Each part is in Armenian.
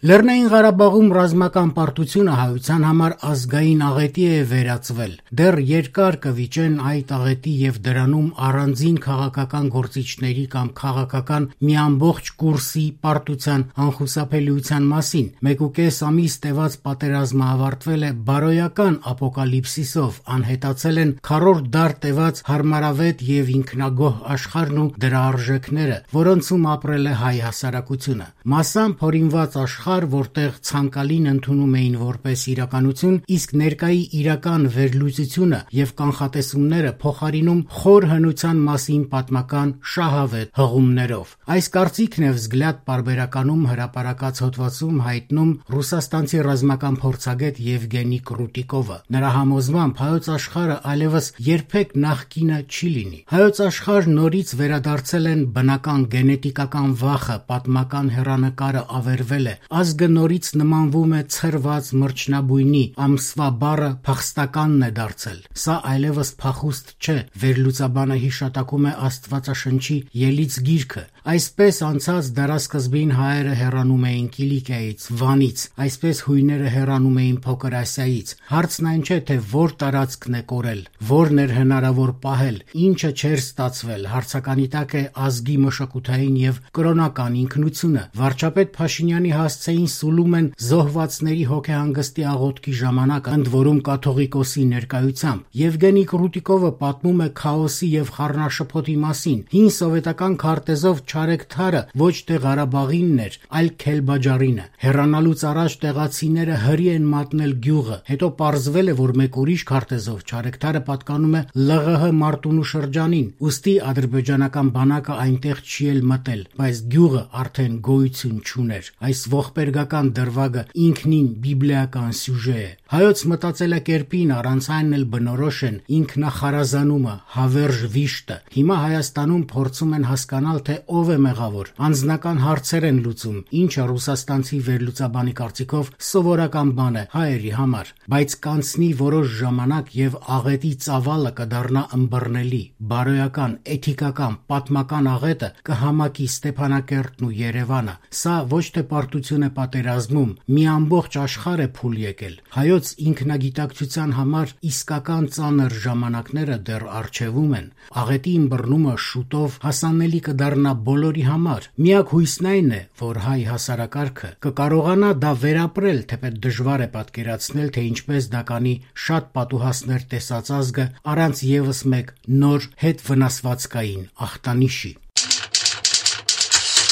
Լեռնային Ղարաբաղում ռազմական պարտությունը հայության համար ազգային աղետի է վերածվել։ Դեռ երկար կվիճեն այդ աղետի եւ դրանում առանձին քաղաքական գործիչների կամ քաղաքական մի ամբողջ կուրսի պարտության անխուսափելիության մասին։ 1.5 ամիս տևած պատերազմը ավարտվել է բարոյական ապոկալիպսիսով, անհետացել են քառորդ դար տևած հարմարավետ եւ ինքնագոհ աշխարհն ու դրա արժեքները, որոնցում ապրել է հայ հասարակությունը։ Մասամբ հորինված աշխարհ, որտեղ ցանկալին ընդունում էին որպես իրականություն, իսկ ներկայի իրական վերլուծությունը եւ կանխատեսումները փոխարինում խոր հնության մասին պատմական շահավետ հղումներով։ Այս կարծիքն է Vzglyad պարբերականում հրապարակած հոդվածում հայտնում ռուսաստանցի ռազմական փորձագետ Եվգենի Կրուտիկովը։ Նրա համոզմամբ հայոց աշխարհը այլևս երբեք նախկինը չի լինի։ Հայոց աշխարհ նորից վերադարձել են բնական գենետիկական վախը, պատմական հեռանկարը ավերվել է, ազգը նորից նմանվում է ցրված մրջնաբույնի, ամսվա բառը փախստականն է դարձել։ Սա այլևս փախուստ չէ, վերլուծաբանը հիշատակում է Աստվածաշնչի ելից գիրքը։ Այսպես անցած դարասկզբին հայերը հեռանում էին Կիլիկիայից, Վանից, այսպես հույները հեռանում էին Փոքր Ասիայից։ Հարցն այն չէ, թե որ տարածքն է կորել, որն էր հնարավոր պահել, ինչը չէր ստացվել, հարցականի տակ է ազգի մշակութային եւ կրոնական ինքնությունը։ Վարչապետ Փաշինյանի հասցեին սուլում են զոհվածների հոգեհանգստի աղոթքի ժամանակ, ընդ որում կաթողիկոսի ներկայությամբ։ Եվգենի Կրուտիկովը պատմում է քաոսի եւ խառնաշփոթի մասին։ Հին սովետական քարտեզով Չարեկ Թարը ոչ թե Ղարաբաղինն էր, այլ Քելբաջարինը։ Հեռանալուց առաջ տեղացիները հրի են մատնել գյուղը, հետո պարզվել է, որ մեկ ուրիշ քարտեզով Չարեկ Թարը պատկանում է ԼՂՀ Մարտունու շրջանին, ուստի ադրբեջանական բանակը այնտեղ չի էլ մտել, բայց գյուղը արդեն գոյություն չուներ։ Այս ողբերգական դրվագը ինքնին բիբլիական սյուժե է։ Հայոց մտածելակերպին առանց այն էլ բնորոշ են ինքնախարազանումը, հավերժ վիշտը։ Հիմա Հայաստանում փորձում են հասկանալ, թե ով է մեղավոր։ Անձնական հարցեր են լուծում, ինչը ռուսաստանցի վերլուծաբանի կարծիքով սովորական բան է հայերի համար, բայց կանցնի որոշ ժամանակ եւ աղետի ծավալը կդառնա ըմբռնելի, բարոյական, էթիկական, պատմական աղետը կհամակի Ստեփանակերտն ու Երևանը։ Սա ոչ թե պարտություն է պատերազմում, մի ամբողջ աշխարհ է փուլ եկել։ Հայոց ինքնագիտակցության համար իսկական ծանր ժամանակները դեռ առջևում են։ Աղետի ըմբռնումը շուտով հասանելի կդառնա բոլորի համար։ Միակ հույսն այն է, որ հայ հասարակարգը կկարողանա դա վերապրել, թեպետ դժվար է պատկերացնել, թե ինչպես դա կանի շատ պատուհասներ տեսած ազգը առանց եւս մեկ նոր հետվնասվածքային ախտանիշի։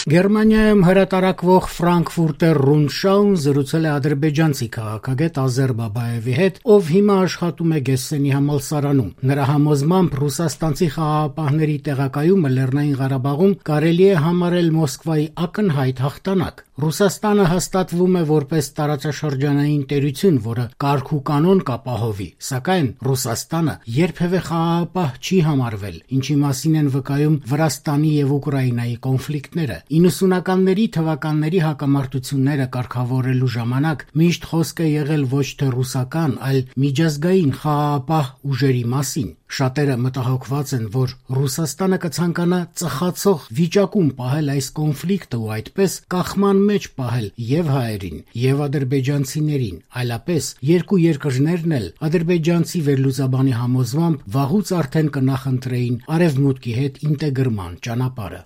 Գերմանիայում հրատարակվող Frankfurter Rundschau զրուցել է ադրբեջանցի քաղաքագետ Ազեր Բաբաևի հետ, ով հիմա աշխատում է Գեսսենի համալսարանում։ Նրա համոզմամբ ռուսաստանցի խաղաղապահների տեղակայումը Լեռնային Ղարաբաղում կարելի է համարել Մոսկվայի ակնհայտ հաղթանակ։ Ռուսաստանը հաստատվում է որպես տարածաշրջանային տերություն, որը կարգ ու կանոն կապահովի, սակայն Ռուսաստանը երբևէ խաղաղապահ չի համարվել, ինչի մասին են վկայում Վրաստանի եւ Ուկրաինայի կոնֆլիկտները։ 90-ականների թվականների հակամարտությունները կարգավորելու ժամանակ միշտ խոսք է եղել ոչ թե ռուսական, այլ միջազգային խաղաղապահ ուժերի մասին։ Շատերը մտահոգված են, որ Ռուսաստանը կցանկանա ծխացող վիճակում պահել այս կոնֆլիկտը ու այդպես կախման մեջ պահել եւ հայերին, եւ ադրբեջանցիներին, այլապես երկու երկրներն էլ ադրբեջանցի վերլուծաբանի համոզմամբ վաղուց արդեն կնախընտրեին արևմուտքի հետ ինտեգրման ճանապարհը։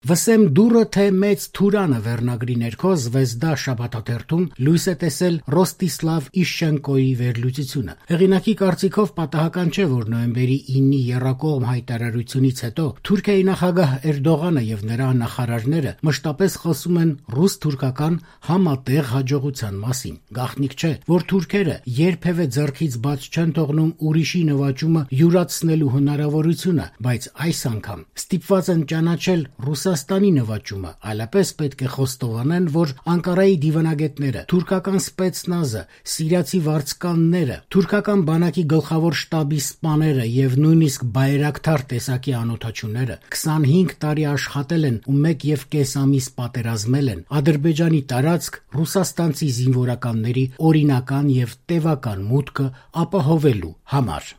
Վսեմ դուրը թե մեծ Թուրանը վերնագրի ներքո Զվեզդա շաբաթաթերթում լույս է տեսել Ռոստիսլավ Իշչենկոյի վերլուծությունը։ Հեղինակի կարծիքով պատահական չէ, որ նոյեմբերի 9-ի եռակողմ հայտարարությունից հետո Թուրքիայի նախագահ Էրդողանը եւ նրա նախարարները մշտապես խոսում են ռուս-թուրքական համատեղ հաջողության մասին։ Գաղտնիք չէ, որ թուրքերը երբևէ ձեռքից բաց չեն թողնում ուրիշի նվաճումը յուրացնելու հնարավորությունը, բայց այս անգամ ստիպված են ճանաչել Ռուսաստանի նվաճումը, այլապես պետք է խոստովանեն, որ Անկարայի դիվանագետները, թուրքական սպեցնազը, սիրիացի վարձկանները, թուրքական բանակի գլխավոր շտաբի սպաները եւ նույնիսկ բայրակթար տեսակի անօթաչուները 25 տարի աշխատել են ու 1.5 ամիս պատերազմել են Ադրբեջանի տարածք ռուսաստանցի զինվորականների օրինական եւ տևական մուտքը ապահովելու համար։